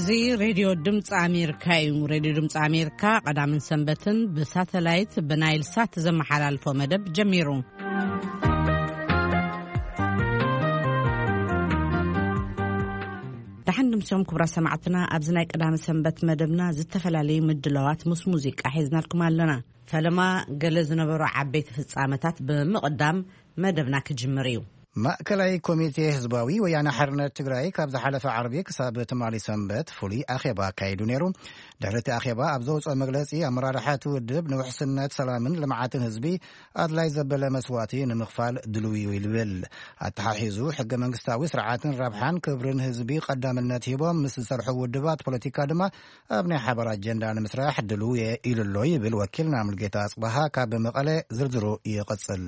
እዚ ሬድዮ ድምፂ ኣሜሪካ እዩ። ሬድዮ ድምፂ ኣሜሪካ ቀዳምን ሰንበትን ብሳተላይት ብናይል ሳት ዘመሓላልፎ መደብ ጀሚሩ። ደሓን ድምሶም ክቡራት ሰማዕትና፣ ኣብዚ ናይ ቀዳመ ሰንበት መደብና ዝተፈላለዩ ምድላዋት ምስ ሙዚቃ ሒዝናልኩም ኣለና። ፈለማ ገለ ዝነበሩ ዓበይቲ ፍጻመታት ብምቕዳም መደብና ክጅምር እዩ። ማእከላይ ኮሚቴ ህዝባዊ ወያነ ሓርነት ትግራይ ካብ ዝሓለፈ ዓርቢ ክሳብ ትማሊ ሰንበት ፍሉይ ኣኼባ ኣካይዱ ነይሩ። ድሕሪ እቲ ኣኼባ ኣብ ዘውፅኦ መግለፂ፣ ኣመራርሓ እቲ ውድብ ንውሕስነት ሰላምን ልምዓትን ህዝቢ ኣድላይ ዘበለ መስዋእቲ ንምኽፋል ድልው እዩ ይብል። ኣተሓሒዙ፣ ሕገ መንግስታዊ ስርዓትን ረብሓን ክብርን ህዝቢ ቀዳምነት ሂቦም ምስ ዝሰርሑ ውድባት ፖለቲካ ድማ ኣብ ናይ ሓባር ኣጀንዳ ንምስራሕ ድልው እየ ኢሉ ኣሎ ይብል ወኪልና ሙልጌታ ኣጽበሃ ካብ መቐለ። ዝርዝሩ ይቕጽል።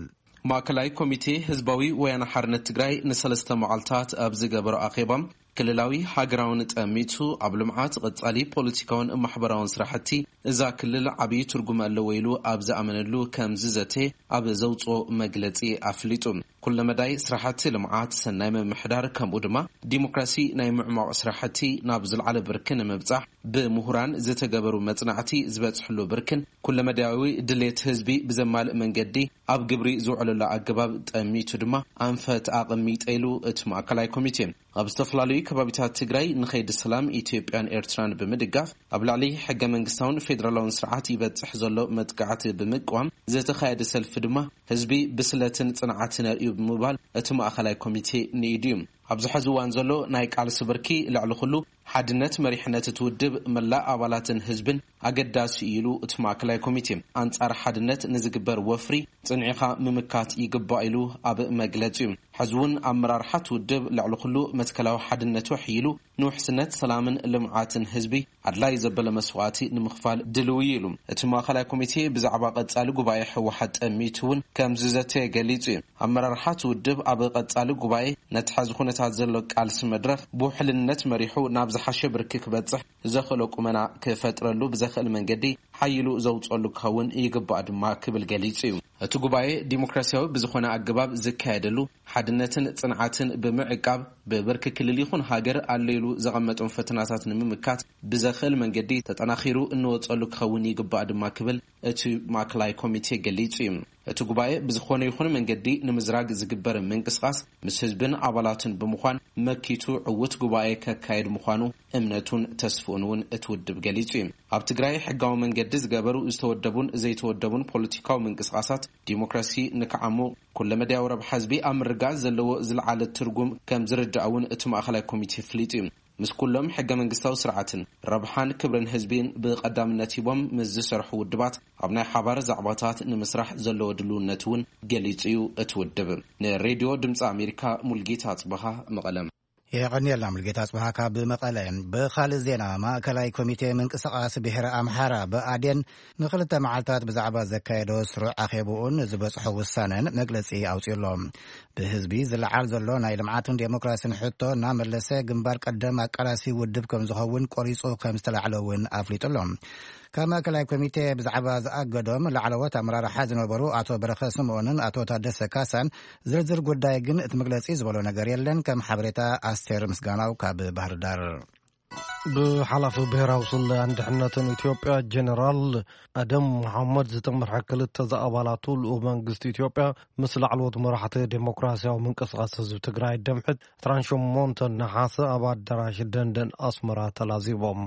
ማእከላይ ኮሚቴ ህዝባዊ ወያነ ሓርነት ትግራይ ንሰለስተ መዓልታት ኣብ ዝገበሮ ኣኼባ፣ ክልላዊ ሃገራውን ጠሚቱ ኣብ ልምዓት፣ ቐጻሊ ፖለቲካውን ማሕበራውን ስራሕቲ እዛ ክልል ዓብዪ ትርጉም ኣለዎ ኢሉ ኣብ ዝኣመነሉ ከም ዝዘተ ኣብ ዘውፅኦ መግለፂ ኣፍሊጡ። ኩለመዳይ ስራሕቲ ልምዓት፣ ሰናይ ምምሕዳር፣ ከምኡ ድማ ዲሞክራሲ ናይ ምዕሟቕ ስራሕቲ ናብ ዝለዓለ ብርኪ ንምብፃሕ ብምሁራን ዝተገበሩ መፅናዕቲ ዝበፅሕሉ ብርክን ኩለመዳያዊ ድሌት ህዝቢ ብዘማልእ መንገዲ ኣብ ግብሪ ዝውዕለሉ ኣገባብ ጠሚቱ ድማ ኣንፈት ኣቐሚጠ ኢሉ እቲ ማእከላይ ኮሚቴ። ኣብ ዝተፈላለዩ ከባቢታት ትግራይ ንኸይዲ ሰላም ኢትዮጵያን ኤርትራን ብምድጋፍ፣ ኣብ ልዕሊ ሕገ መንግስታውን ፌደራላውን ስርዓት ይበፅሕ ዘሎ መጥቃዕቲ ብምቅዋም ዝተኻየደ ሰልፊ ድማ ህዝቢ ብስለትን ጽንዓትን የርእዩ ብምባል እቲ ማእከላይ ኮሚቴ ንኢዱ እዩ። ኣብዚ ሕዚ እዋን ዘሎ ናይ ቃልሲ ብርኪ ልዕሊ ኩሉ ሓድነት መሪሕነት እቲ ውድብ፣ መላእ ኣባላትን ህዝብን ኣገዳሲ እዩ ኢሉ እቲ ማእከላይ ኮሚቴ። ኣንጻር ሓድነት ንዝግበር ወፍሪ ጽንዒኻ ምምካት ይግባእ ኢሉ ኣብ መግለጺኡ። ሕዚ እውን ኣመራርሓ እቲ ውድብ ልዕሊ ኩሉ መትከላዊ ሓድነቱ ኣሕይሉ ንውሕስነት ሰላምን ልምዓትን ህዝቢ ኣድላይ ዘበለ መስዋእቲ ንምኽፋል ድልው እዩ ኢሉ። እቲ ማእከላይ ኮሚቴ ብዛዕባ ቀጻሊ ጉባኤ ህወሓት ጠሚቱ እውን ከም ዝዘተየ ገሊጹ እዩ። ኣመራርሓ እቲ ውድብ ኣብ ቀጻሊ ጉባኤ ነቲ ሕዚ ኩነታት ዘሎ ቃልሲ መድረኽ ብውሕልነት መሪሑ ናብ ዝሓሸ ብርኪ ክበጽሕ ዘኽእሎ ቁመና ክፈጥረሉ ብዘኽእል መንገዲ ሓይሉ ዘውጸሉ ክኸውን ይግባእ ድማ ክብል ገሊጹ እዩ። እቲ ጉባኤ ዲሞክራሲያዊ ብዝኾነ ኣገባብ ዝካየደሉ፣ ሓድነትን ጽንዓትን ብምዕቃብ ብብርኪ ክልል ይኹን ሃገር ኣሎ ኢሉ ዘቐመጦም ፈተናታት ንምምካት ብዘኽእል መንገዲ ተጠናኺሩ እንወጸሉ ክኸውን ይግባእ ድማ ክብል እቲ ማእከላይ ኮሚቴ ገሊጹ እዩ። እቲ ጉባኤ ብዝኾነ ይኹን መንገዲ ንምዝራግ ዝግበር ምንቅስቓስ ምስ ህዝብን ኣባላቱን ብምዃን መኪቱ ዕዉት ጉባኤ ከካየድ ምዃኑ እምነቱን ተስፍኡን እውን እቲ ውድብ ገሊጹ እዩ። ኣብ ትግራይ ሕጋዊ መንገዲ ዝገበሩ ዝተወደቡን ዘይተወደቡን ፖለቲካዊ ምንቅስቓሳት ዲሞክራሲ ንክዓሙ ኩለመዳያዊ ረብሓ ህዝቢ ኣብ ምርጋጽ ዘለዎ ዝለዓለ ትርጉም ከም ዝርዳእ እውን እቲ ማእከላይ ኮሚቴ ኣፍሊጡ እዩ። ምስ ኩሎም ሕገ መንግስታዊ ስርዓትን ረብሓን ክብርን ህዝቢን ብቐዳምነት ሂቦም ምስ ዝሰርሑ ውድባት ኣብ ናይ ሓባር ዛዕባታት ንምስራሕ ዘለዎ ድልውነት እውን ገሊጹ እዩ እቲ ውድብ። ንሬድዮ ድምፂ ኣሜሪካ ሙልጌታ ኣጽበሃ መቐለም። የቐንየልና ሙልጌታ ኣጽበሃ ካብ መቐለ። ብኻልእ ዜና፣ ማእከላይ ኮሚቴ ምንቅስቓስ ብሔረ ኣምሓራ ብኣዴን ንኽልተ መዓልታት ብዛዕባ ዘካየዶ ስሩዕ ኣኼብኡን ዝበጽሖ ውሳነን መግለጺ ኣውጺኡ ኣሎ። ብህዝቢ ዝለዓል ዘሎ ናይ ልምዓትን ዴሞክራሲን ሕቶ እናመለሰ ግንባር ቀደም ኣቃላሲ ውድብ ከም ዝኸውን ቆሪጹ ከም ዝተላዕለ እውን ኣፍሊጡ ኣሎ። ካብ ማእከላይ ኮሚቴ ብዛዕባ ዝኣገዶም ላዕለዎት ኣመራርሓ ዝነበሩ ኣቶ በረኸ ስምኦንን ኣቶ ታደሰ ካሳን ዝርዝር ጉዳይ ግን እቲ መግለጺ ዝበሎ ነገር የለን። ከም ሓበሬታ ኣስቴር ምስጋናው ካብ ባህር ዳር። ብሓላፊ ብሔራዊ ስለያን ድሕነትን ኢትዮጵያ ጀነራል ኣደም መሓመድ ዝተመርሐ ክልተ ዝኣባላቱ ልኡኽ መንግስቲ ኢትዮጵያ ምስ ላዕለዎት መራሕቲ ዴሞክራሲያዊ ምንቅስቓስ ህዝቢ ትግራይ ደምሕት ትራንሾ ሞንተ ነሓሰ ኣብ ኣዳራሽ ደንደን ኣስመራ ተላዚቦም።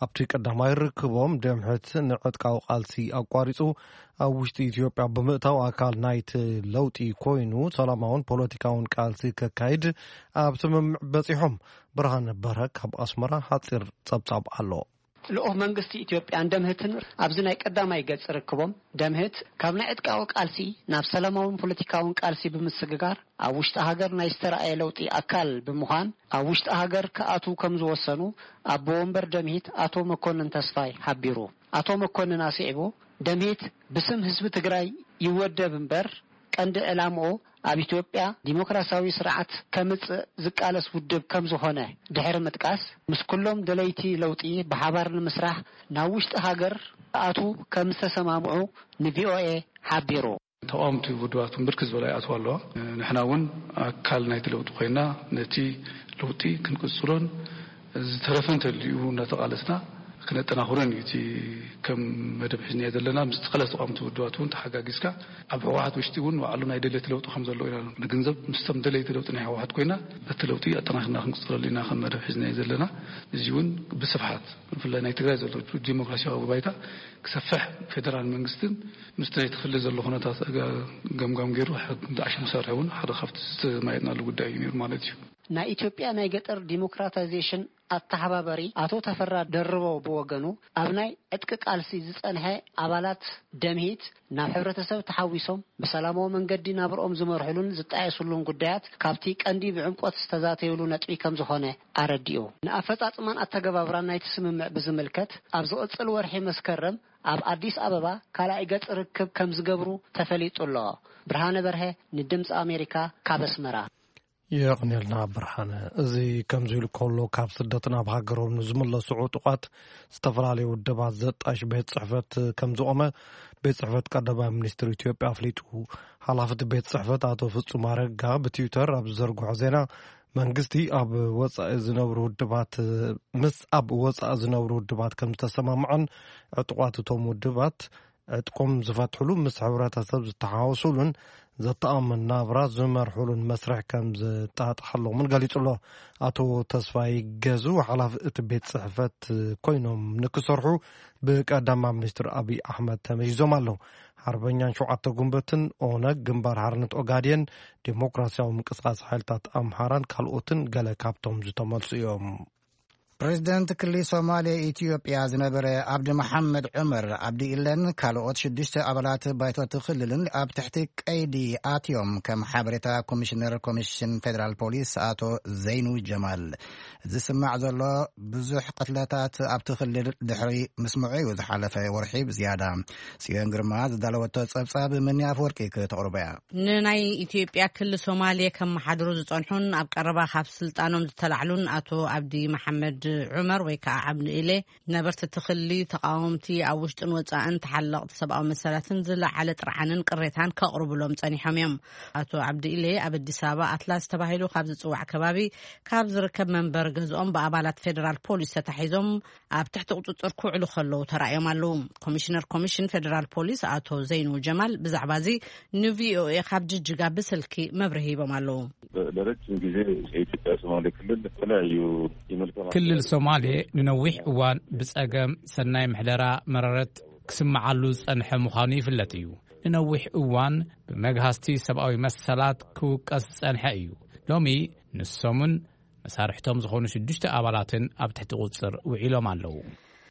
ኣብቲ ቀዳማይ ርክቦም ደምሕት ንዕጥቃዊ ቃልሲ ኣቋሪጹ ኣብ ውሽጢ ኢትዮጵያ ብምእታው ኣካል ናይቲ ለውጢ ኮይኑ ሰላማውን ፖለቲካውን ቃልሲ ከካይድ ኣብ ስምምዕ በጺሖም። ብርሃነ በርሀ ካብ ኣስመራ ሓጺር ጸብጻብ ኣሎ። ልኡኽ መንግስቲ ኢትዮጵያን ደምህትን ኣብዚ ናይ ቀዳማይ ገጽ ርክቦም፣ ደምህት ካብ ናይ ዕጥቃዊ ቃልሲ ናብ ሰላማውን ፖለቲካውን ቃልሲ ብምስግጋር ኣብ ውሽጢ ሃገር ናይ ዝተራእየ ለውጢ ኣካል ብምዃን ኣብ ውሽጢ ሃገር ክኣትዉ ከም ዝወሰኑ ኣቦ ወንበር ደምሂት ኣቶ መኮንን ተስፋይ ሓቢሩ። ኣቶ መኮንን ኣስዒቡ፣ ደምሂት ብስም ህዝቢ ትግራይ ይወደብ እምበር ቀንዲ ዕላምኡ ኣብ ኢትዮጵያ ዲሞክራሲያዊ ስርዓት ከምጽእ ዝቃለስ ውድብ ከም ዝኾነ ድሕሪ ምጥቃስ፣ ምስ ኩሎም ደለይቲ ለውጢ ብሓባር ንምስራሕ ናብ ውሽጢ ሃገር ክኣትዉ ከም ዝተሰማምዑ ንቪኦኤ ሓቢሩ። ተቓወምቲ ውድባት እውን ብርክት ዝበላ ይኣትዋ ኣለዋ። ንሕና እውን ኣካል ናይቲ ለውጢ ኮይና ነቲ ለውጢ ክንቅጽሎን ዝተረፈ እንተልዩ እናተቓለስና ክነጠናኽሮን እዩ። እቲ ከም መደብ ሒዝናዮ ዘለና ምስ ተቐለስ ተቋምቲ ውድባት እውን ተሓጋጊዝካ ኣብ ህወሓት ውሽጢ እውን ባዕሉ ናይ ደልየት ለውጢ ከም ዘለዎ ኢና ንግንዘብ። ምስቶም ደለይቲ ለውጢ ናይ ህወሓት ኮይና በቲ ለውጢ ኣጠናኽርና ክንቅፅለሉ ኢና ከም መደብ ሒዝናዮ ዘለና። እዚ እውን ብስፍሓት ብፍላይ ናይ ትግራይ ዘሎ ዲሞክራሲያዊ ባይታ ክሰፍሕ ፌደራል መንግስትን ምስቲ ናይ ትኽሊ ዘሎ ኩነታት ገምጋም ገይሩ ዓሽሙ ክሰርሕ እውን ሓደ ካብቲ ዝተማየጥናሉ ጉዳይ እዩ ነይሩ ማለት እዩ። ናይ ኢትዮጵያ ናይ ገጠር ዲሞክራታይዜሽን ኣተሓባባሪ ኣቶ ተፈራ ደርበው ብወገኑ፣ ኣብ ናይ ዕጥቂ ቃልሲ ዝጸንሐ ኣባላት ደምሂት ናብ ሕብረተሰብ ተሓዊሶም ብሰላማዊ መንገዲ ናብርኦም ዝመርሕሉን ዝጣየሱሉን ጉዳያት ካብቲ ቀንዲ ብዕምቆት ዝተዛተዩሉ ነጥቢ ከም ዝኾነ ኣረዲኡ። ንኣፈጻጽማን ኣተገባብራን ናይቲ ስምምዕ ብዝምልከት ኣብ ዝቕጽል ወርሒ መስከረም ኣብ ኣዲስ ኣበባ ካልኣይ ገጽ ርክብ ከም ዝገብሩ ተፈሊጡ ኣሎ። ብርሃነ በርሀ ንድምጺ ኣሜሪካ ካብ ኣስመራ። የቕንየልና ብርሃነ። እዚ ከምዚ ኢሉ ከሎ፣ ካብ ስደት ናብ ሃገሮም ንዝምለሱ ዕጡቓት ዝተፈላለዩ ውድባት ዘጣሽ ቤት ጽሕፈት ከም ዝቖመ ቤት ጽሕፈት ቀዳማይ ሚኒስትር ኢትዮጵያ ኣፍሊጡ። ሓላፊ እቲ ቤት ጽሕፈት ኣቶ ፍጹም ኣረጋ ብትዊተር ኣብ ዝዘርግሖ ዜና፣ መንግስቲ ኣብ ወጻኢ ዝነብሩ ውድባት፣ ምስ ኣብ ወጻኢ ዝነብሩ ውድባት ከም ዝተሰማምዐን ዕጡቓት እቶም ውድባት ዕጥቆም ዝፈትሕሉ፣ ምስ ሕብረተሰብ ዝተሓዋወሱሉን ዘተኣማምን ናብራ ዝመርሕሉን መስርሕ ከም ዘጣጥሐሎምን ገሊጹ ኣሎ። ኣቶ ተስፋይ ገዙ ሓላፊ እቲ ቤት ጽሕፈት ኮይኖም ንክሰርሑ ብቀዳማይ ሚኒስትር ኣብይ ኣሕመድ ተመይዞም ኣለዉ። ሓርበኛን ሸውዓተ ጉንበትን፣ ኦነግ፣ ግንባር ሓርነት ኦጋዴን፣ ዴሞክራሲያዊ ምንቅስቃስ ሓይልታት ኣምሓራን ካልኦትን ገለ ካብቶም ዝተመልሱ እዮም። ፕሬዚደንት ክልል ሶማሌ ኢትዮጵያ ዝነበረ ኣብዲ መሐመድ ዑመር ኣብዲ ኢለን ካልኦት ሽዱሽተ ኣባላት ባይቶ እቲ ክልልን ኣብ ትሕቲ ቀይዲ ኣትዮም፣ ከም ሓበሬታ ኮሚሽነር ኮሚሽን ፌዴራል ፖሊስ ኣቶ ዘይኑ ጀማል። ዝስማዕ ዘሎ ብዙሕ ቅትለታት ኣብቲ ክልል ድሕሪ ምስምዑ እዩ ዝሓለፈ ወርሒ ብዝያዳ። ጽዮን ግርማ ዝዳለወቶ ጸብጻብ ምኒ ኣፈወርቂ ክተቕርቦ እያ። ንናይ ኢትዮጵያ ክሊ ሶማሌ ከመሓድሩ ዝጸንሑን ኣብ ቀረባ ካብ ስልጣኖም ዝተላዕሉን ኣቶ ኣብዲ መሓመድ ዑመር ወይ ከዓ ዓብዲ ኢሌ፣ ነበርቲ እቲ ክሊ፣ ተቃወምቲ፣ ኣብ ውሽጥን ወጻእን ተሓለቕቲ ሰብኣዊ መሰላትን ዝለዓለ ጥርዓንን ቅሬታን ከቕርቡሎም ጸኒሖም እዮም። ኣቶ ዓብዲ ኢሌ ኣብ ኣዲስ ኣበባ ኣትላስ ተባሂሉ ካብ ዝጽዋዕ ከባቢ ካብ ዝርከብ መንበሪ ገዝኦም ብኣባላት ፌደራል ፖሊስ ተታሒዞም ኣብ ትሕቲ ቁጽጽር ክውዕሉ ከለዉ ተራእዮም ኣለዉ። ኮሚሽነር ኮሚሽን ፌደራል ፖሊስ ኣቶ ዘይኑ ጀማል ብዛዕባ እዚ ንቪኦኤ ካብ ጅጅጋ ብስልኪ መብርሂ ሂቦም ኣለዉ። ለረጅም ጊዜ የኢትዮጵያ ሶማሌ ክልል የተለያዩ የመልካም ክልል ሶማሌ ንነዊሕ እዋን ብጸገም ሰናይ ምሕደራ መረረት ክስምዓሉ ዝጸንሐ ምዃኑ ይፍለጥ እዩ። ንነዊሕ እዋን ብመግሃስቲ ሰብኣዊ መሰላት ክውቀስ ዝጸንሐ እዩ። ሎሚ ንሶምን መሳርሕቶም ዝኾኑ ሽዱሽተ ኣባላትን ኣብ ትሕቲ ቁጽር ውዒሎም ኣለዉ።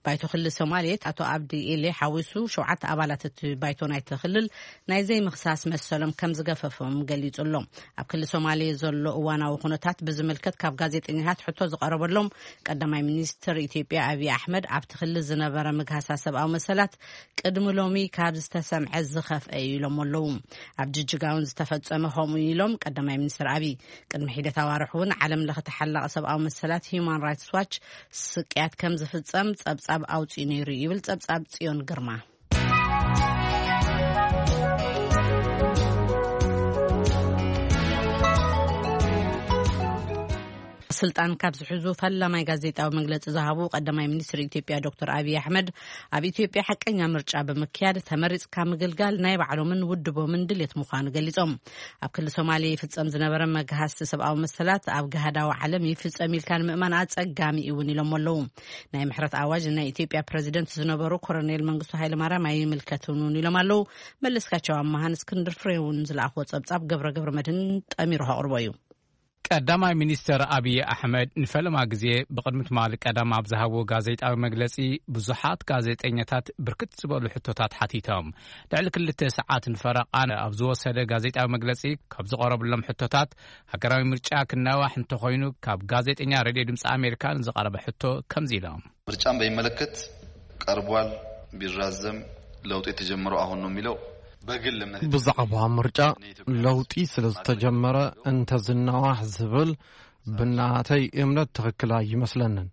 ባይቶ ክልል ሶማሌ ኣቶ ኣብዲ ኢሌ ሓዊሱ ሸውዓተ ኣባላት እቲ ባይቶ ናይቲ ክልል ናይ ዘይምኽሳስ መሰሎም ከም ዝገፈፎም ገሊጹ ኣሎ። ኣብ ክልል ሶማሌ ዘሎ እዋናዊ ኩነታት ብዝምልከት ካብ ጋዜጠኛታት ሕቶ ዝቐረበሎም ቀዳማይ ሚኒስትር ኢትዮጵያ ኣብይ ኣሕመድ፣ ኣብቲ ክልል ዝነበረ ምግሃሳ ሰብኣዊ መሰላት ቅድሚ ሎሚ ካብ ዝተሰምዐ ዝኸፍአ እዩ ኢሎም ኣለዉ። ኣብ ጅጅጋ እውን ዝተፈጸመ ከምኡ ኢሎም ቀዳማይ ሚኒስትር ኣብይ። ቅድሚ ሒደት ኣዋርሕ እውን ዓለም ለኸ ተሓላቒ ሰብኣዊ መሰላት ሂዩማን ራይትስ ዋች ስቅያት ከም ዝፍጸም ጸብጻብ ኣውጺኡ ነይሩ ይብል ጸብጻብ ጽዮን ግርማ። ስልጣን ካብ ዝሕዙ ፈላማይ ጋዜጣዊ መግለጺ ዝሃቡ ቀዳማይ ሚኒስትር ኢትዮጵያ ዶክተር ኣብይ ኣሕመድ፣ ኣብ ኢትዮጵያ ሓቀኛ ምርጫ ብምክያድ ተመሪጽካ ምግልጋል ናይ ባዕሎምን ውድቦምን ድሌት ምዃኑ ገሊጾም። ኣብ ክልል ሶማሌ ይፍጸም ዝነበረ መግሃስቲ ሰብኣዊ መሰላት ኣብ ጋህዳዊ ዓለም ይፍጸም ኢልካ ንምእማን ኣጸጋሚ እውን ኢሎም ኣለዉ። ናይ ምሕረት ኣዋጅ ናይ ኢትዮጵያ ፕሬዚደንት ዝነበሩ ኮሎኔል መንግስቱ ሃይለማርያም ኣይምልከትን እውን ኢሎም ኣለዉ። መለስካቸው ኣማሃን እስክንድር ፍሬውን ዝለኣኽዎ ጸብጻብ ገብረ ገብረ መድህን ጠሚሩ ከቕርቦ እዩ። ቀዳማይ ሚኒስተር ኣብይ ኣሕመድ ንፈለማ ግዜ ብቕድሚ ትማሊ ቀዳም ኣብ ዝሃብዎ ጋዜጣዊ መግለጺ፣ ብዙሓት ጋዜጠኛታት ብርክት ዝበሉ ሕቶታት ሓቲቶም። ልዕሊ ክልተ ሰዓትን ፈረቓን ኣብ ዝወሰደ ጋዜጣዊ መግለጺ፣ ካብ ዝቐረብሎም ሕቶታት፣ ሃገራዊ ምርጫ ክናዋሕ እንተኾይኑ፣ ካብ ጋዜጠኛ ሬድዮ ድምጺ ኣሜሪካ ንዝቐረበ ሕቶ ከምዚ ኢሎም። ምርጫን በሚመለከት ቀርቧል፣ ቢራዘም ለውጥ የተጀመረው አሁን ነው የሚለው በግል እምነት ብዛዕባ ምርጫ ለውጢ ስለ ዝተጀመረ እንተ ዝናዋሕ ዝብል ብናተይ እምነት ትኽክል ኣይመስለንን።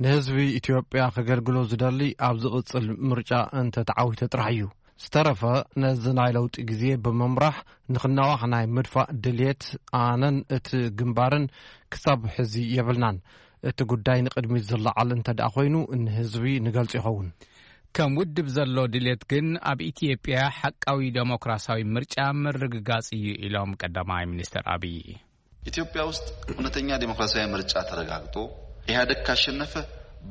ንህዝቢ ኢትዮጵያ ከገልግሎ ዝደሊ ኣብ ዝቕጽል ምርጫ እንተ ተዓዊተ ጥራሕ እዩ። ዝተረፈ ነዚ ናይ ለውጢ ግዜ ብምምራሕ ንኽናዋሕ ናይ ምድፋእ ድልየት ኣነን እቲ ግንባርን ክሳብ ሕዚ የብልናን። እቲ ጉዳይ ንቕድሚት ዝለዓል እንተ ደኣ ኮይኑ ንህዝቢ ንገልጾ ይኸውን። ከም ውድብ ዘሎ ድሌት ግን ኣብ ኢትዮጵያ ሓቃዊ ደሞክራሲያዊ ምርጫ ምርግጋጽ እዩ ኢሎም ቀዳማይ ሚኒስትር ኣብይ። ኢትዮጵያ ውስጥ እውነተኛ ዴሞክራሲያዊ ምርጫ ተረጋግጦ ኢህአደግ ካሸነፈ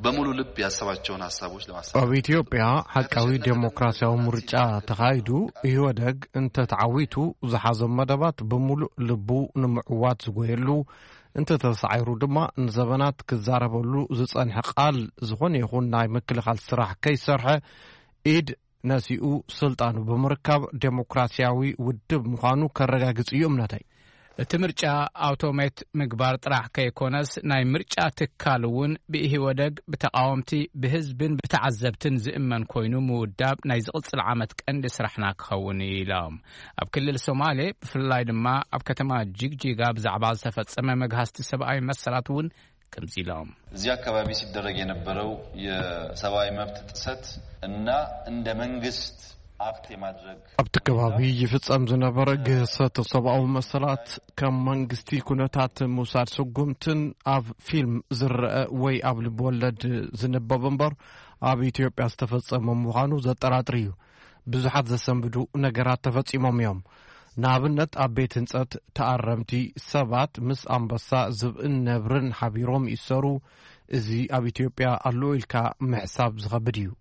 በሙሉ ልብ ያሰባቸውን ሀሳቦች ለማሳካት ኣብ ኢትዮጵያ ሓቃዊ ዴሞክራሲያዊ ምርጫ ተኻይዱ ኢህወደግ እንተተዓዊቱ ዝሓዞም መደባት ብምሉእ ልቡ ንምዕዋት ዝጎየሉ እንተተሳዒሩ ድማ ንዘበናት ክዛረበሉ ዝጸንሐ ቃል ዝኾነ ይኹን ናይ ምክልኻል ስራሕ ከይሰርሐ ኢድ ነሲኡ ስልጣኑ ብምርካብ ዴሞክራሲያዊ ውድብ ምዃኑ ከረጋግጽ እዩ እምነተይ። እቲ ምርጫ ኣውቶሜት ምግባር ጥራሕ ከይኮነስ ናይ ምርጫ ትካል እውን ብኢህወደግ ብተቃወምቲ ብህዝብን ብተዓዘብትን ዝእመን ኮይኑ ምውዳብ ናይ ዝቕጽል ዓመት ቀንዲ ስራሕና ክኸውን እዩ ኢሎም። ኣብ ክልል ሶማሌ ብፍላይ ድማ ኣብ ከተማ ጅግጂጋ ብዛዕባ ዝተፈጸመ መግሃስቲ ሰብኣዊ መሰላት እውን ከምዚ ኢሎም። እዚህ አካባቢ ሲደረግ የነበረው የሰብአዊ መብት ጥሰት እና እንደ መንግስት አክት የማድረግ ኣብቲ ከባቢ ይፍጸም ዝነበረ ግህሰት ሰብኣዊ መሰላት ከም መንግስቲ ኩነታት ምውሳድ ስጉምትን ኣብ ፊልም ዝረአ ወይ ኣብ ልብ ወለድ ዝንበብ እምበር ኣብ ኢትዮጵያ ዝተፈጸመ ምዃኑ ዘጠራጥር እዩ። ብዙሓት ዘሰንብዱ ነገራት ተፈጺሞም እዮም። ንኣብነት ኣብ ቤት ህንጸት ተኣረምቲ ሰባት ምስ ኣንበሳ ዝብእን ነብርን ሓቢሮም ይእሰሩ። እዚ ኣብ ኢትዮጵያ ኣሎ ኢልካ ምሕሳብ ዝኸብድ እዩ።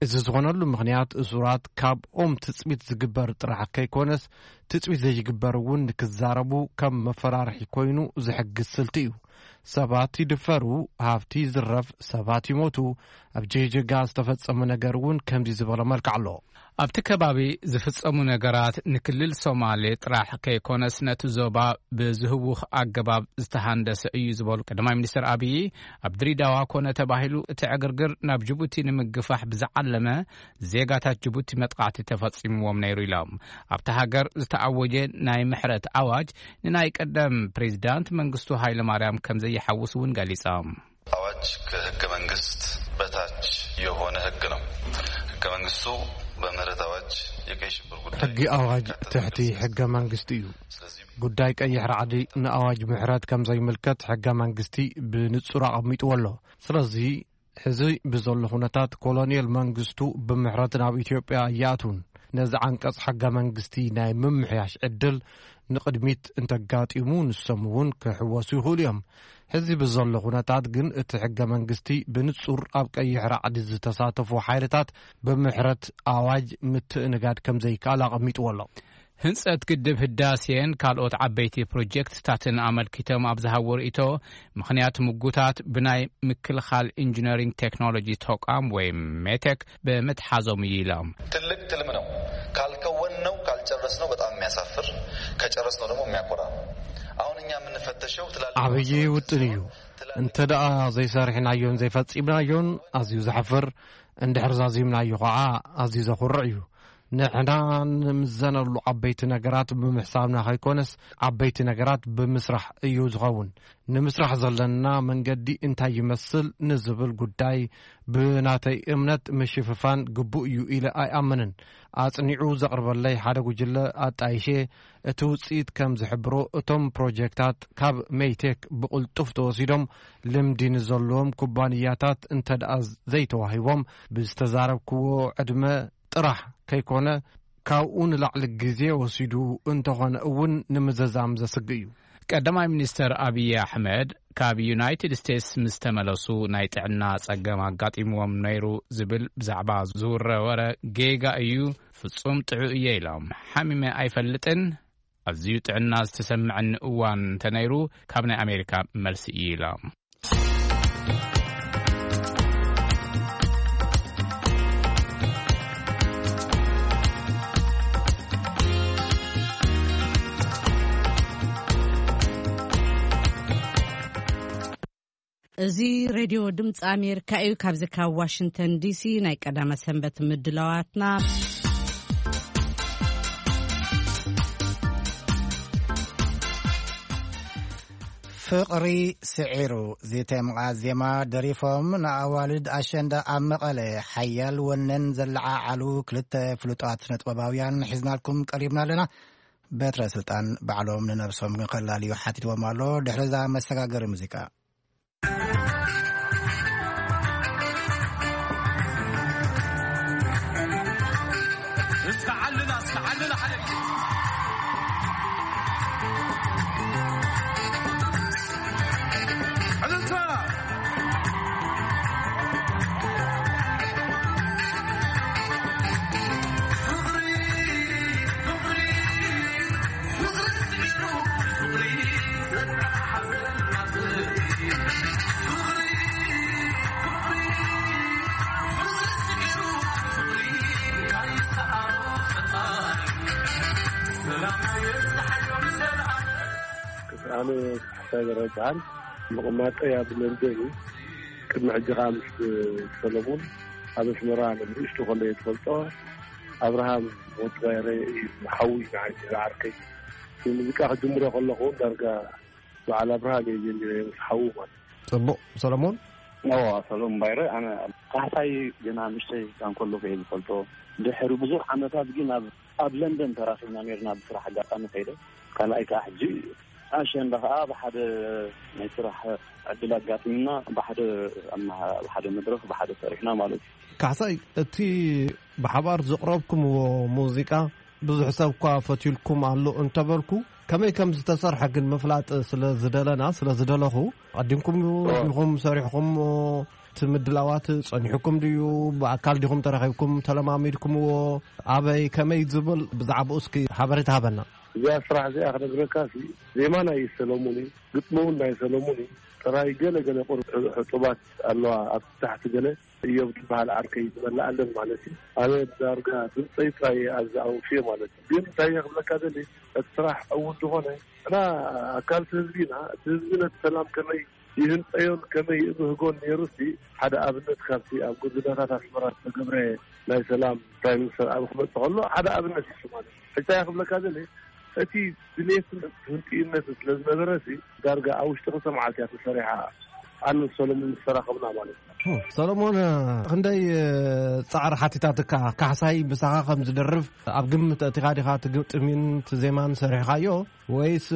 እዚ ዝኾነሉ ምኽንያት እሱራት ካብኦም ትጽቢት ዝግበር ጥራሕ ከይኮነስ ትጽቢት ዘይግበር እውን ንክዛረቡ ከም መፈራርሒ ኮይኑ ዝሕግዝ ስልቲ እዩ። ሰባት ይድፈሩ፣ ሃብቲ ይዝረፍ፣ ሰባት ይሞቱ። ኣብ ጅግጅጋ ዝተፈጸመ ነገር እውን ከምዚ ዝበለ መልክዕ ኣሎ። ኣብቲ ከባቢ ዝፍጸሙ ነገራት ንክልል ሶማሌ ጥራሕ ከይኮነስ ነቲ ዞባ ብዝህውኽ ኣገባብ ዝተሃንደሰ እዩ ዝበሉ ቀዳማይ ሚኒስትር ኣብዪ፣ ኣብ ድሪዳዋ ኮነ ተባሂሉ እቲ ዕግርግር ናብ ጅቡቲ ንምግፋሕ ብዝዓለመ ዜጋታት ጅቡቲ መጥቃዕቲ ተፈጺምዎም ነይሩ ኢሎም። ኣብቲ ሃገር ዝተኣወጀ ናይ ምሕረት ኣዋጅ ንናይ ቀደም ፕሬዚዳንት መንግስቱ ኃይለማርያም ከም ዘይሓውስ እውን ገሊጾም። አዋጅ ከህገ መንግስት በታች የሆነ ህግ ነው። ህገ መንግስቱ በምህረት አዋጅ የቀይ ሽብር ጉዳይ ሕጊ ኣዋጅ ትሕቲ ሕገ መንግስቲ እዩ። ስለዚህ ጉዳይ ቀይሕ ራዕዲ ንኣዋጅ ምሕረት ከም ዘይምልከት ሕገ መንግስቲ ብንጹር ኣቐሚጥዎ ኣሎ። ስለዚ ሕዚ ብዘሎ ኩነታት ኮሎኔል መንግስቱ ብምሕረት ናብ ኢትዮጵያ ኣይኣትውን። ነዚ ዓንቀጽ ሕገ መንግስቲ ናይ ምምሕያሽ ዕድል ንቕድሚት እንተጋጢሙ ንሶም እውን ክሕወሱ ይኽእሉ እዮም። ሕዚ ብዘሎ ኩነታት ግን እቲ ሕገ መንግስቲ ብንጹር ኣብ ቀይሕ ራዕዲ ዝተሳተፉ ሓይልታት ብምሕረት ኣዋጅ ምትእንጋድ ከም ዘይከኣል ኣቐሚጥዎ ኣሎ። ህንጸት ግድብ ህዳሴን ካልኦት ዓበይቲ ፕሮጀክትታትን ኣመልኪቶም ኣብ ዝሃቦ ርእይቶ፣ ምኽንያት ምጉታት ብናይ ምክልኻል ኢንጂነሪንግ ቴክኖሎጂ ተቋም ወይ ሜቴክ ብምትሓዞም እዩ ኢሎም። ትልቅ ትልም ነው። ካልከወን ነው፣ ካልጨረስ ነው በጣም የሚያሳፍር፣ ከጨረስ ነው ደግሞ የሚያኮራ ነው። አሁን እኛ የምንፈተሸው ትላልቅ ዓብዪ ውጥን እዩ። እንተ ደኣ ዘይሰርሕናዮን ዘይፈጺምናዮን ኣዝዩ ዘሕፍር፣ እንድሕር ዛዚምናዮ ኸዓ ኣዝዩ ዘኹርዕ እዩ። ንሕና ንምዘነሉ ዓበይቲ ነገራት ብምሕሳብና ከይኮነስ ዓበይቲ ነገራት ብምስራሕ እዩ ዝኸውን። ንምስራሕ ዘለና መንገዲ እንታይ ይመስል ንዝብል ጉዳይ ብናተይ እምነት ምሽፍፋን ግቡእ እዩ ኢለ ኣይኣምንን። ኣጽኒዑ ዘቕርበለይ ሓደ ጉጅለ ኣጣይሼ እቲ ውጽኢት ከም ዝሕብሮ እቶም ፕሮጀክታት ካብ ሜይቴክ ብቕልጡፍ ተወሲዶም ልምዲ ንዘለዎም ኩባንያታት እንተ ደኣ ዘይተዋሂቦም ብዝተዛረብክዎ ዕድመ ጥራሕ ከይኮነ ካብኡ ንላዕሊ ግዜ ወሲዱ እንተኾነ እውን ንምዝዛም ዘስግእ እዩ። ቀዳማይ ሚኒስተር ኣብዪ ኣሕመድ ካብ ዩናይትድ ስቴትስ ምስ ተመለሱ ናይ ጥዕና ጸገም ኣጋጢምዎም ነይሩ ዝብል ብዛዕባ ዝውረ ወረ ጌጋ እዩ፣ ፍጹም ጥዑ እየ ኢሎም። ሓሚመ ኣይፈልጥን፣ ኣዝዩ ጥዕና ዝተሰምዐኒ እዋን እንተነይሩ ካብ ናይ ኣሜሪካ መልሲ እዩ ኢሎም። እዚ ሬድዮ ድምፂ ኣሜሪካ እዩ። ካብዚ ካብ ዋሽንግተን ዲሲ ናይ ቀዳመ ሰንበት ምድላዋትና። ፍቕሪ ስዒሩ ዝተምቓ ዜማ ደሪፎም ንኣዋልድ ኣሸንዳ ኣብ መቐለ ሓያል ወነን ዘለዓዓሉ ክልተ ፍሉጣት ስነጥበባውያን ሒዝናልኩም ቀሪብና ኣለና። በትረ ስልጣን ባዕሎም ንነብሶም ግን ከላልዩ ሓቲትዎም ኣሎ። ድሕሪ እዛ መሰጋገሪ ሙዚቃ። ዓለና ሓደ ግዜ። ዕልልታ! ኣነ ካሕሳይ በረድሃን፣ ምቕማጠይ ኣብ ለንደን እዩ። ቅድሚ ሕጂ ከኣ ምስ ሰለሙን ኣብ ኣስመራ ንእሽቶ ከሎ እየ ዝፈልጦ። ኣብርሃም ወዲ ባይረ እዩ፣ ሓዊ ንዓይ ዝዓርከይ። ሙዚቃ ክጅምሮ ከለኹ ዳርጋ በዓል ኣብርሃም እየ ጀሚረ ምስ ሓዉ ማለት። ጽቡቕ። ሰለሞን? እዎ፣ ሰለሙን ባይረ። ኣነ ካሕሳይ ገና ንእሽተይ ካብ ከለኹ እየ ዝፈልጦ። ድሕሪ ብዙሕ ዓመታት ግን ኣብ፣ ኣብ ለንደን ተራኺብና ነርና ብስራሕ ኣጋጣሚ ከይደ። ካልኣይ ከኣ ሕጂ ኣሸንዳ ከኣ ብሓደ ናይ ስራሕ ዕድል ኣጋጢምና ብሓደ፣ ኣብ መሃ-፣ ብሓደ መድረኽ ብሓደ ሰሪሕና ማለት እዩ። ካሕሳይ፣ እቲ ብሓባር ዘቕረብኩምዎ ሙዚቃ ብዙሕ ሰብ እኳ ፈትዩልኩም ኣሎ እንተበልኩ፣ ከመይ ከም ዝተሰርሐ ግን ምፍላጥ ስለ ዝደለና፣ ስለ ዝደለኹ፣ ኣቐዲምኩም ዲኹም ሰሪሕኹምዎ? እቲ ምድላዋት ጸኒሑኩም ድዩ? ብኣካል ዲኹም ተራኺብኩም ተለማሚድኩምዎ? ኣበይ፣ ከመይ ዝብል ብዛዕባኡ እስኪ ሓበሬታ ሃበና። እዚኣ ስራሕ እዚኣ ክነግረካ ሲ፣ ዜማ ናይ ሰለሙን እዩ፣ ግጥሚ እውን ናይ ሰለሙን እዩ። ጥራይ ገለ ገለ ቁሩብ ሕጡባት ኣለዋ ኣብ ታሕቲ ገለ። እዮብ ዝበሃል ዓርከይ ዝመልኣለን ማለት እዩ። ኣነ ዳርጋ ድምፀይ ጥራይ እየ ኣብዚ ኣውፍየ ማለት እዩ። ግን እንታይ እየ ክብለካ ደሊ፣ እቲ ስራሕ ዕዉት ዝኾነ፣ ንሕና ኣካል እቲ ህዝቢ ኢና። እቲ ህዝቢ ነቲ ሰላም ከመይ ይህንፀዮን ከመይ ይብህጎን ነይሩ ሲ፣ ሓደ ኣብነት ካብቲ ኣብ ጎደናታት ኣስመራ ዝተገብረ ናይ ሰላም ፕራይም ሚኒስተር ኣብ ክመፅእ ከሎ ሓደ ኣብነት እዩ ማለት እዩ። እንታይ እየ ክብለካ ደሊ፣ እቲ ድሌትን ህንጥዩነትን ስለ ዝነበረ ሲ፣ ዳርጋ ኣብ ውሽጢ ክልተ መዓልቲ እያ ተሰሪሓ። ኣነ ሰሎሞን ምስ ተራኸብና ማለት እዩ። ሰሎሞን፣ ክንደይ ጻዕሪ ሓቲታትካ? ካሕሳይ ምሳኻ ከም ዝደርፍ ኣብ ግምት ኣእቲኻ ዲኻ እቲ ግጥሚን እቲ ዜማን ሰሪሕካዮ፣ ወይስ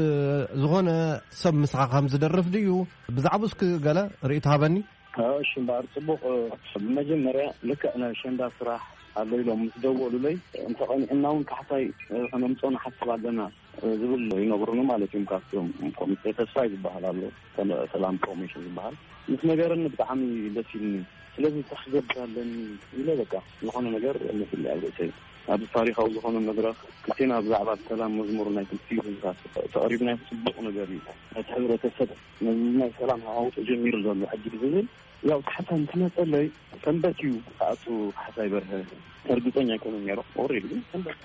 ዝኾነ ሰብ ምሳኻ ከም ዝደርፍ ድዩ? ብዛዕባኡ እስኪ ገለ ርእይቶ ሃበኒ። እሺ እምበኣር፣ ጽቡቕ። ብመጀመርያ ልክዕ ናይ ኣሸንዳ ስራሕ ኣሎ ኢሎም ምስ ደወሉለይ፣ እንተቐኒዕና እውን ካሕሳይ ከነምጽኦ ንሓስብ ኣለና ዝብል ይነግሩኒ ማለት እዮም። ካብቶም ኮሚቴ ተስፋይ ዝበሃል ኣሎ፣ ሰለ-፣ ሰላም ፕሮሞሽን ዝበሃል፣ ምስ ነገረኒ ብጣዕሚ ደስ ኢልኒ። ስለዚ እንታይ ክገብር ኣለኒ ኢለ በቃ ዝኾነ ነገር መሲለይ ኣብ ርእሰይ። ኣብዚ ታሪኻዊ ዝኾነ መድረኽ ክልቴና ብዛዕባ ሰላም መዝሙር ናይ ክልቲኡ ህዝብታት ተቐሪብናዮ ጽቡቕ ነገር እዩ። ነቲ ሕብረተሰብ ነዚ ናይ ሰላም ሃዋህው ተጀሚሩ ዘሎ ሕጂ ብዝብል ያው ካሕሳይ ምስ መጸለይ ሰንበት እዩ ክኣቱ ካሕሳይ በርሀ። እርግጸኛ ኣይኮነን ነይረ። ኦሬዲ ግን ሰንበት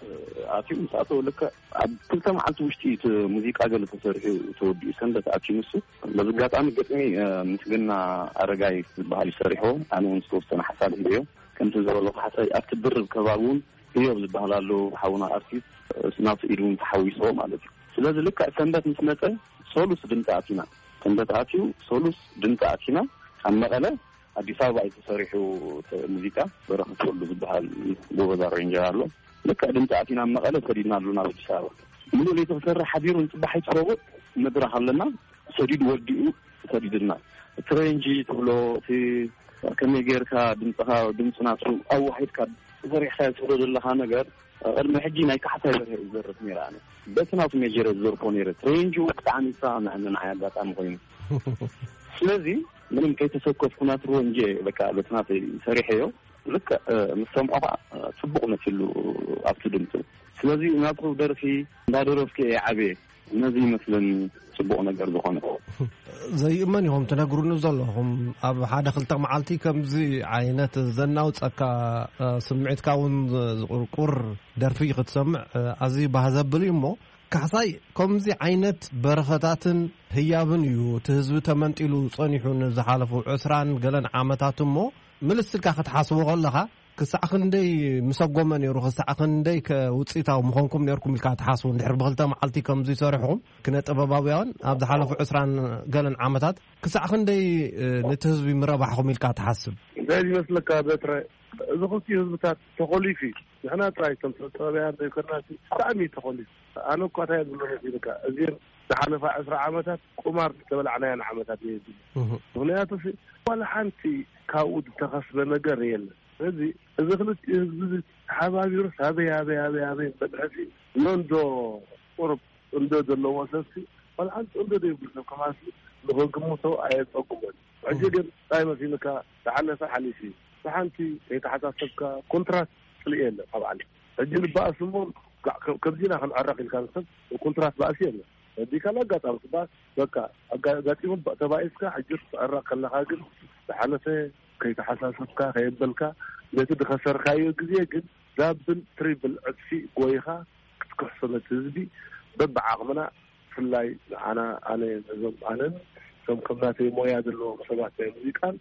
ኣትዩ ምስ ኣተወ ልክዕ ኣብ ክልተ መዓልቲ ውሽጢ እቲ ሙዚቃ ገለ ተሰሪሑ ተወዲኡ ሰንበት ኣትዩ ንሱ። በዚ ኣጋጣሚ ግጥሚ፣ እ፣ ምስግና ኣረጋይ ዝበሃል እዩ ሰሪሕዎ። ኣነ እውን ዝተወሰነ ሓሳብ ሂበዮ። ከምቲ ዝበሎ ካሕሳይ ኣብቲ ድርብ ከባቢ እውን ህዮብ ዝበሃል ኣሎ ሓውና ኣርቲስት፣ እ፣ ናቱ ኢድ እውን ተሓዊስዎ ማለት እዩ። ስለዚ ልክዕ ሰንበት ምስ መጸ ሶሉስ ድምፂ ኣቲና። ሰንበት ኣትዩ ሶሉስ ድምፂ ኣቲና። ኣብ መቐለ ኣዲስ ኣበባ እዩ ተሰሪሑ እቲ ሙዚቃ። በረኸት ወልዱ ዝበሃል ጎበዝ ኣሬንጀር ኣሎ። ልክዕ ድምፂ ኣቲና ኣብ መቐለ ሰዲድናሉ ናብ ኣዲስ ኣበባ። ሙሉእ ለይቲ ክሰርሕ ሓዲሩ ንፅባሕ ይትረቡእ መድረኽ ኣለና። ሰዲዱ ወዲኡ ሰዲድና። እቲ ሬንጂ ትብሎ፣ እቲ ከመይ ጌርካ ድምፅኻ፣ ድምፂ ናቱ ኣዋሂድካ ተሰሪሕካ ትብሎ ዘለኻ ነገር፣ ቅድሚ ሕጂ ናይ ካሕሳይ በርሀ እዩ ዝደርፍ ነይረ። ኣነ በቲ ናቱ ሜጀር ዝደርፎ ነይረ። ሬንጁ ብጣዕሚ ይሰማማዕ ንዓይ ኣጋጣሚ ኮይኑ። ስለዚ ምንም ከይተሰከፍኩ ናቱ ሬንጅ በቃ በቲ ናተይ ሰሪሐዮ። ልክዕ፣ እ፣ ምስ ሰምዖ ከዓ፣ እ፣ ጽቡቕ መሲሉ ኣብቲ ድምፁ። ስለዚ ናቱ ደርፊ እንዳደረፍኩ እየ ዓብየ። ነዚ ይመስለኒ ጽቡቕ ነገር ዝኾነ። ዘይእመን ኢኹም ትነግሩኒ ዘለኹም። ኣብ ሓደ ክልተ መዓልቲ ከምዚ ዓይነት ዘናውጸካ፣ እ፣ ስምዒትካ እውን ዝ-፣ ዝቁርቁር ደርፊ ክትሰምዕ፣ እ፣ ኣዝዩ ባህ ዘብል እዩ። እሞ ካሕሳይ፣ ከምዚ ዓይነት በረኸታትን ህያብን እዩ እቲ ህዝቢ ተመንጢሉ ጸኒሑ ንዝሓለፉ ዕስራን ገለን ዓመታት። እሞ ምልስ ኢልካ ክትሓስቦ ከለኻ፣ ክሳዕ ክንደይ ምሰጎመ ነይሩ፣ ክሳዕ ክንደይ ከ ውጽኢታዊ ምኾንኩም ነይርኩም ኢልካ ትሓስቡ? እንድሕር ብክልተ መዓልቲ ከምዚ ሰሪሕኹም፣ ክነ ጥበባውያን ኣብ ዝሓለፉ ዕስራን ገለን ዓመታት ክሳዕ ክንደይ፣ እ፣ ነቲ ህዝቢ ምረባሕኹም ኢልካ ትሓስብ? እንታይ ዝመስለካ በትረ፣ እዚ ክልቲኡ ህዝብታት ተኾሊፉ እዩ። ንሕና ጥራይ እቶም ሰብ ጥበባውያን ዘይኮንና፣ ብጣዕሚ እዩ ተኾሊፉ። ኣነ እኳ እንታይ ዝብሎ መሲልካ፣ እዚን ዝሓለፋ ዕስራ ዓመታት ቁማር ዝተበላዕናያን ዓመታት እየ ዝብል። እህ። ምኽንያቱ ሲ፣ ዋላ ሓንቲ ካብኡ ዝተኸስበ ነገር የለን። ስለዚ እዚ ክልቲኡ ህዝቢ እዚ ተሓባቢሩስ ኣበይ ኣበይ ኣበይ ኣበይ በድሐሲ መንዶ ቁሩብ እንዶ ዘለዎ ሰብሲ ቆልዓን እንዶ ዘይብሉ ሰብ ከማሲ ንኽግምቶ ኣየጸጉሞን። ሕጂ ግን እንታይ መሲልካ ዝሓለፈ ሓሊፉ እዩ። ብሓንቲ ከይተሓሳሰብካ ኮንትራት ጽልኢ የለ ካብ ዓለም ሕጂ ንበኣስ እሞ ከምዚና ክንዕረቕ ኢልካ ንሰብ ኮንትራት ባእሲ የለ። ነዲካ ኣጋጣሚ ትበኣስ በቃ ኣጋጢሙ ተባኢስካ ሕጂ ክትዕረቕ ከለኻ ግን ዝሓለፈ ከይተሓሳሰብካ ከየበልካ ነቲ ዝኸሰርካዮ ግዜ ግን ዳብል ትሪብል ዕጥፊ ጎይኻ ክትክሕሶ ነቲ ህዝቢ በብዓቕምና ብፍላይ ንዓና ኣነ ነዞም ኣነን እቶም ከም ናተይ ሞያ ዘለዎም ሰባት ናይ ሙዚቃን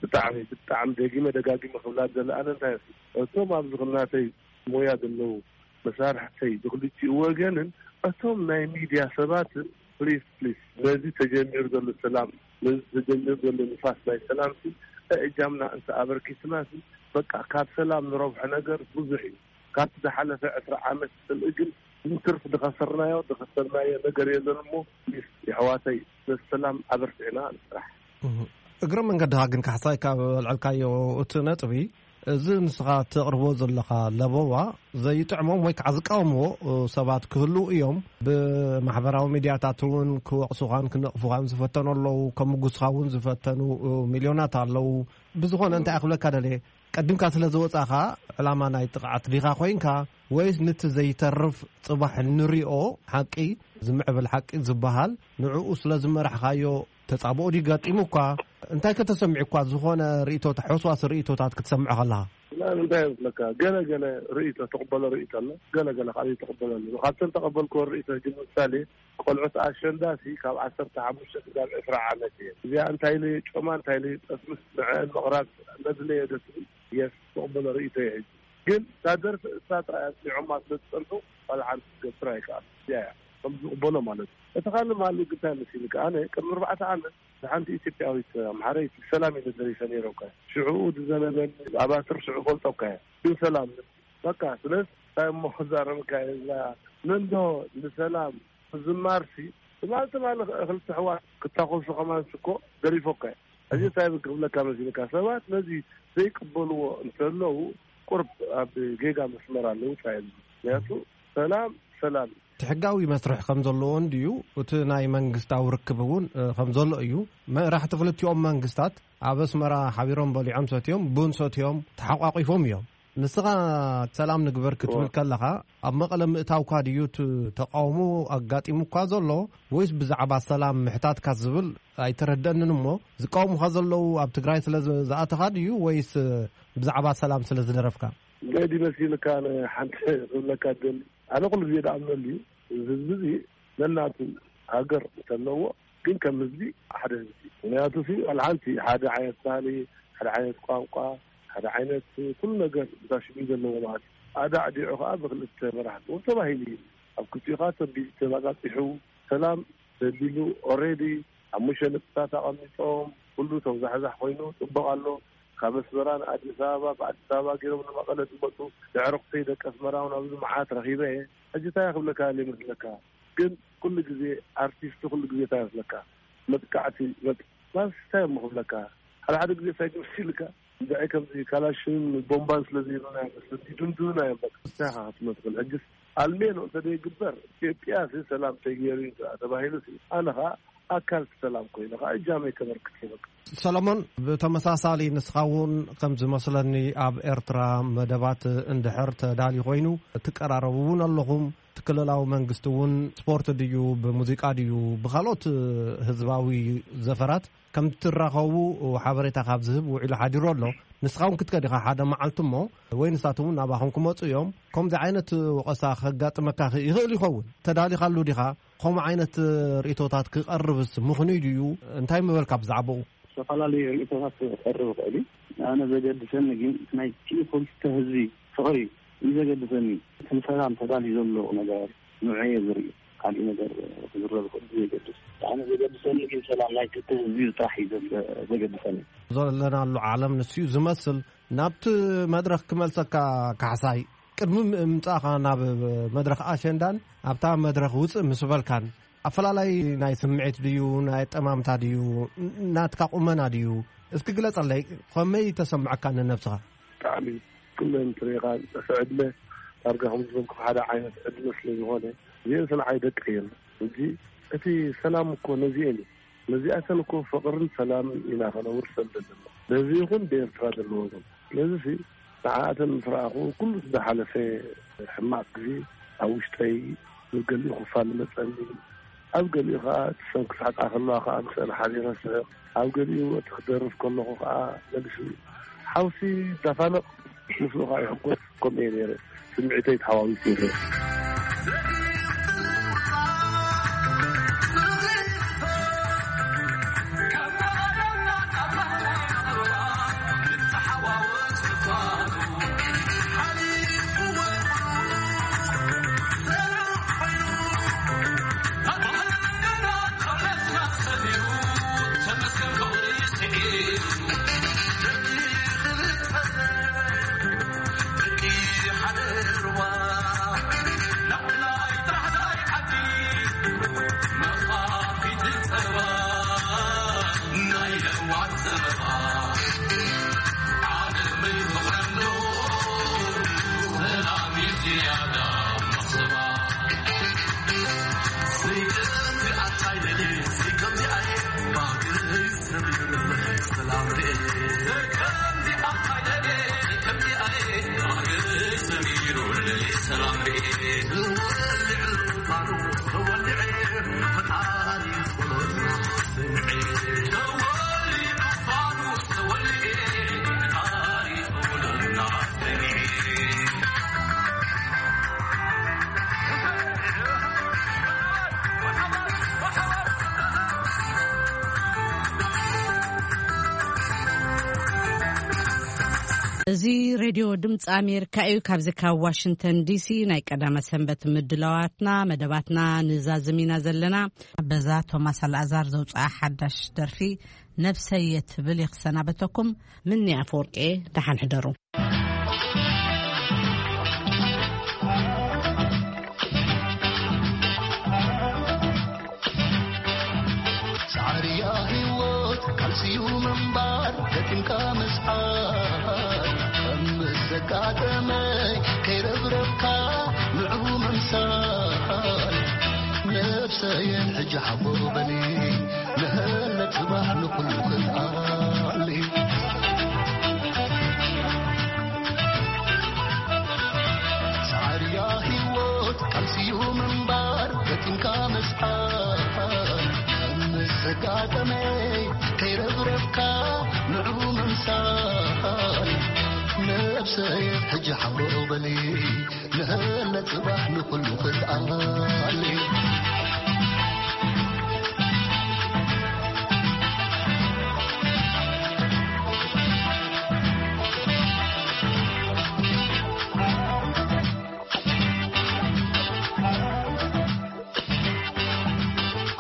ብጣዕሚ ብጣዕሚ ደጊመ ደጋጊመ ክብላ ዝደሊ ኣነ እንታይ እቶም ኣብዚ ከም ናተይ ሞያ ዘለዉ መሳርሕተይ ብክልቲኡ ወገንን እቶም ናይ ሚድያ ሰባትን ፕሊስ ፕሊስ ነዚ ተጀሚሩ ዘሎ ሰላም ነዚ ተጀሚሩ ዘሎ ንፋስ ናይ ሰላምሲ እጃምና እንተ ኣበርኪትና በቃ ካብ ሰላም ንረብሖ ነገር ብዙሕ እዩ። ካብቲ ዝሓለፈ ዕስራ ዓመት ስልኢ ግን ንትርፍ ዝኸሰርናዮ ዝኸሰርናዮ ነገር የለን እሞ ፕሊስ የሕዋተይ ነቲ ሰላም ኣበርቲዕና ንስራሕ። እግረ መንገድኻ ግን ካሕሳይ ካብ ኣልዐልካዮ እቲ ነጥቢ እዚ ንስኻ ተቕርቦ ዘለኻ ለበዋ ዘይጥዕሞም ወይ ከዓ ዝቃወምዎ ሰባት ክህልዉ እዮም። ብማሕበራዊ ሚድያታት እውን ክወቕሱኻን ክነቕፉኻን ዝፈተኑ ኣለዉ። ከሙጉስኻ እውን ዝፈተኑ ሚልዮናት ኣለዉ። ብዝኾነ እንታይ ክብለካ ደልየ ቀዲምካ ስለ ዝወጻኻ ዕላማ ናይ ጥቕዓት ዲኻ ኮይንካ ወይስ ንቲ ዘይተርፍ ጽባሕ ንሪኦ ሓቂ ዝምዕብል ሓቂ ዝበሃል ንዕኡ ስለ ዝመራሕካዮ ተጻብኦ ድዩ ገጢሙ እኳ እንታይ ከተሰሚዑ እኳ ዝኾነ ርእቶታት ሕስዋስ ርእቶታት ክትሰምዖ ከለኻ? እና እንታይ ይመስለካ ገለ ገለ ርእቶ ተቕበሎ ርእቶ ኣሎ ገለ ገለ ካልእ ተቕበለሉ ካብተን ተቐበልክዎ ርእቶ ሕጂ ምሳሌ ቆልዑት ኣሸንዳ ሲ ካብ ዓሰርተ ሓሙሽተ ክሳብ ዕስራ ዓመት እየ እዚኣ እንታይ ኢለ ጮማ እንታይ ኢለ ጠስምስ ንዐን ምቕራብ መድለየ ደስ የስ ተቕበሎ ርእቶ እየ ሕጂ ግን እታ ደርፊ እሳ ጥራይ ኣስሚዖማ ስለ ዝጸንሑ ካልእ ሓንቲ ክትገብር ኣይከኣል እዚኣ እያ ከም ዝቕበሎ ማለት እዩ እቲ ካልእ ማሉ ግንታይ መሲልካ ኣነ ቅድሚ ኣርባዕተ ዓመት ንሓንቲ ኢትዮጵያዊት ኣምሓረይቲ ሰላም ኢለ ደሪፈ ነይረ እኳ ሽዕኡ ዝዘነበኒ ኣባትር ሽዑ ፈልጦ እኳ እየ ግን ሰላም በቃ ስለዚ እንታይ እሞ ክዛረብካ እየ እዛ መንዶ ንሰላም ምዝማርሲ ትማል ትማል ክልተ ኣሕዋት ክታኮሱ ከማንሲ እኮ ደሪፎ እኳ እየ ሕጂ እንታይ ክብለካ መሲልካ ሰባት ነዚ ዘይቅበልዎ እንተለዉ ቁርብ ኣብ ጌጋ መስመር ኣለዉ ጻ ምክንያቱ ሰላም ሰላም እዩ እቲ ሕጋዊ መስርሕ ከም ዘለዎ እንድዩ እቲ ናይ መንግስታዊ ርክብ እውን ከም ዘሎ እዩ መራሕቲ ክልቲኦም መንግስታት ኣብ ኣስመራ ሓቢሮም በሊዖም ሰትዮም ቡን ሰትዮም ተሓቋቂፎም እዮም ንስኻ ሰላም ንግበር ክትብል ከለኻ ኣብ መቐለ ምእታውካ ድዩ እቲ ተቃውሞ ኣጋጢሙካ ዘሎ ወይስ ብዛዕባ ሰላም ምሕታትካ ዝብል ኣይተረደእንን እሞ ዝቃወሙኻ ዘለዉ ኣብ ትግራይ ስለ ዝኣተኻ ድዩ ወይስ ብዛዕባ ሰላም ስለ ዝደረፍካ? ገዲ መሲልካ ሓንቲ ክብለካ ደሊ ኣነ ኩሉ ግዜ ደኣምነሉ እዩ እዚ ህዝቢ እዚ ነናቱ ሃገር እንተለዎ ግን ከም ህዝቢ ሓደ ህዝቢ ምክንያቱ ሲ ዋላ ሓንቲ ሓደ ዓይነት ባህሊ ሓደ ዓይነት ቋንቋ ሓደ ዓይነት ኩሉ ነገር እንታሽሚ ዘለዎ ማለት ኣዳዕዲዑ ከዓ ብክልተ መራሕቲ እውን ተባሂሉ እዩ ኣብ ክልቲኡ ከዓ ተቢሉ ተባፃፂሑ ሰላም ተቢሉ ኦሬዲ ሓሙሽተ ነጥብታት ኣቐሚጦም ኩሉ ተውዛሕዛሕ ኮይኑ ፅቡቅ ኣሎ ካብ ኣስመራ ንኣዲስ ኣበባ ብኣዲስ ኣበባ ገይሮም ንመቐለ ዝመፁ ኣዕሩኽተይ ደቂ ኣስመራ እውን ኣብዚ መዓት ረኺበ እየ ሕጂ እንታይ ክብለካ እየ መስለካ ግን ኩሉ ግዜ ኣርቲስት ኩሉ ግዜ እንታይ መስለካ መጥቃዕቲ መጥቃዕቲ እንታይ እሞ ክብለካ ሓደ ሓደ ግዜ እንታይ መስልካ እንድዒ ከምዚ ካላሽን ቦምባን ስለ ዘይብልና እዮም መስለኒ ድምድምና እዮም በቃ እንታይ ኢኻ ክትብሎ ትኽእል ሕጅስ ኣልሜኖ እንተ ዘይግበር ኢትዮጵያ ሲ ሰላም ተገይሩ እዩ ተባሂሉ ሲ ኣነ ኸዓ ኣካል ሰላም ኮይኑ ኸዓ እጃመይ ከበርክት እየ በቃ። ሰሎሞን ብተመሳሳሊ ንስኻ እውን ከም ዝመስለኒ ኣብ ኤርትራ መደባት እንድሕር ተዳልዩ ኮይኑ ትቀራረቡ እውን ኣለኹም እቲ ክልላዊ መንግስቲ እውን ስፖርት ድዩ ብሙዚቃ ድዩ ብካልኦት ህዝባዊ ዘፈራት ከም ትራኸቡ ሓበሬታ ካብ ዝህብ ውዒሉ ሓዲሩ ኣሎ ንስኻ እውን ክትከድ ኢኻ ሓደ መዓልቲ እሞ ወይ ንሳቶም እውን ናባኹም ክመፁ እዮም ከምዚ ዓይነት ወቐሳ ከጋጥመካ ይኽእል ይኸውን ተዳሊኻሉ ዲኻ ከምኡ ዓይነት ርእቶታት ክቐርብስ ምኽኑይ ድዩ እንታይ ምበልካ ብዛዕባኡ ዝተፈላለዩ ርእቶታት ክቐርብ ይኽእል እዩ ኣነ ዘገድሰኒ ግን ናይ ክልተ ህዝቢ ፍቕሪ እዩ ዘገድሰኒ እቲ ንሰላም ተዳልዩ ዘሎ ነገር ንዑ እየ ዝርኢ ካልእ ነገር ክዝረብ ይኽእል ዘይገድስ ኣነ ዘገድሰኒ ግን ሰላም ናይ ክልተ ህዝቢ ጥራሕ እዩ ዘገድሰኒ ዘለናሉ ዓለም ንሱ እዩ ዝመስል ናብቲ መድረኽ ክመልሰካ ካሕሳይ ቅድሚ ምምጻእኻ ናብ መድረኽ ኣሸንዳን ኣብታ መድረኽ ውጽእ ምስ በልካን ኣፈላላይ ናይ ስምዒት ድዩ ናይ ኣጠማምታ ድዩ ናትካ ቁመና ድዩ እስኪ ግለጸለይ ከመይ ተሰምዐካ ንነብስኻ ብጣዕሚ ኩለን ትሪኢኻ ዝጠፍአ ዕድመ ዳርጋ ከም ዝበልኩ ሓደ ዓይነት ዕድመ ስለ ዝኾነ እዚአን ሰንዓይ ደቂ እየን። ሕጂ እቲ ሰላም እኮ ነዚአን እዩ። ነዚኣተን እኮ ፍቕርን ሰላምን ኢና ከነውርሰን ዘለና። በዚ ይኹን ብኤርትራ ዘለዎ ዘሎ። ስለዚ ሲ ንዓኣተን ምስ ረኣኹ ኩሉ ዝሓለፈ ሕማቕ ግዜ ኣብ ውሽጠይ ብገሊኡ ክፋል መጸኒ፣ ኣብ ገሊኡ ከኣ እቲ ሰብ ክስሕቃ ከለዋ ከኣ ምስአን ሓቢረ ስሕቕ፣ ኣብ ገሊኡ እቲ ክደርፍ ከለኹ ከኣ መልሲ ሓውሲ ይዳፋነቕ፣ ምስኡ ከኣ ይሕጎስ። ከምኡ እየ ነይረ። ስምዒተይ ተሓዋዊሱ ይረአ። እዚ ሬድዮ ድምፂ ኣሜሪካ እዩ። ካብዚ ካብ ዋሽንግተን ዲሲ ናይ ቀዳመ ሰንበት ምድላዋትና፣ መደባትና ንዛዝም ኢና ዘለና። በዛ ቶማስ ኣልኣዛር ዘውፅኣ ሓዳሽ ደርፊ ነብሰየ ትብል ይኽሰናበተኩም። ምኒ ኣፈወርቂ፣ ደሓን ሕደሩ። ጻዕርያ ህይወት ካልሲዩ ምንባር፣ ገጢምካ ምስዓር፣ ከም ምስ ዘጋጠመይ ከይረብረብካ ንዑ ምምሳል። ነብሰየ ሕጂ ሓቦ በሊ፣ ንህለ ጽባሕ ንኹሉ ክትኣሊ። ጻዕርያ ህይወት ካልሲዩ ምንባር፣ ገጢምካ ምስዓር፣ ምስ ዘጋጠመይ ከይረብረብካ ንዑ ምምሳል። ነብሰይ ሕጂ ሓቦ በሊ፣ ንህለ ጽባሕ ንኹሉ ክትኣሊ።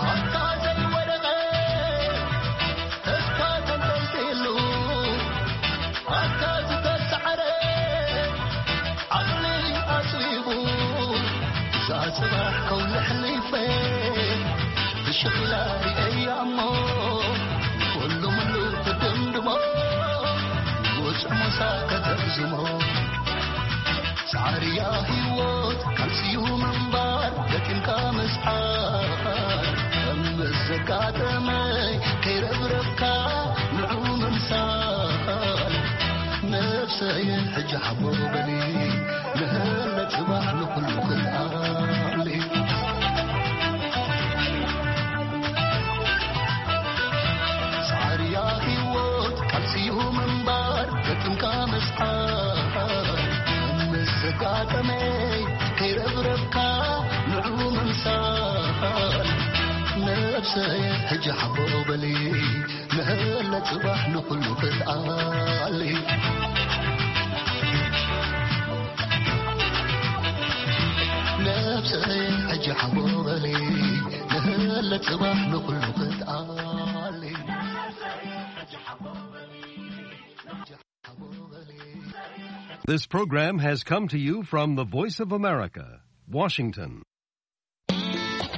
ኣታ ዘይወደቐ፣ ተስፋ ተንጠልጢሉ፣ ኣታ ዝተሳዕረ፣ ዓቕሊ ኣጽቢቡ፣ እዛ ጽባሕ ከውሊ ሕሊፈ፣ ብሽኺላ ሪኤያ እሞ፣ ኩሉ ምሉ ክድምድሞ፣ ውጽዕ ሞሳ ከተርዝሞ። ጻዕርያ ህይወት ካልሲዩ ምንባር፣ ገጢምካ ምስዓር፣ ከም ምስ ዘጋጠመይ ከይረብረብካ ንዑ ምምሳል። ነብሰይ ሕጂ ሓቦ በሊ፣ ንህለ ጽባሕ ንኹሉ ክትኣሊ። ጻዕርያ ህይወት ካልሲዩ ምንባር፣ ገጥምካ ምስዓር፣ ምስ ዘጋጠመይ ከይረብረብካ ንዑ ምምሳል። ነብሰይ ሕጂ ሓቦ በሊ፣ ንህለ ጽባሕ ንኹሉ ክትኣሊ። ነብሰይ ሕጂ ሓቦ በሊ፣ ንህለ ጽባሕ ንኹሉ ክትኣሊ። This program has come to you from the Voice of America, Washington.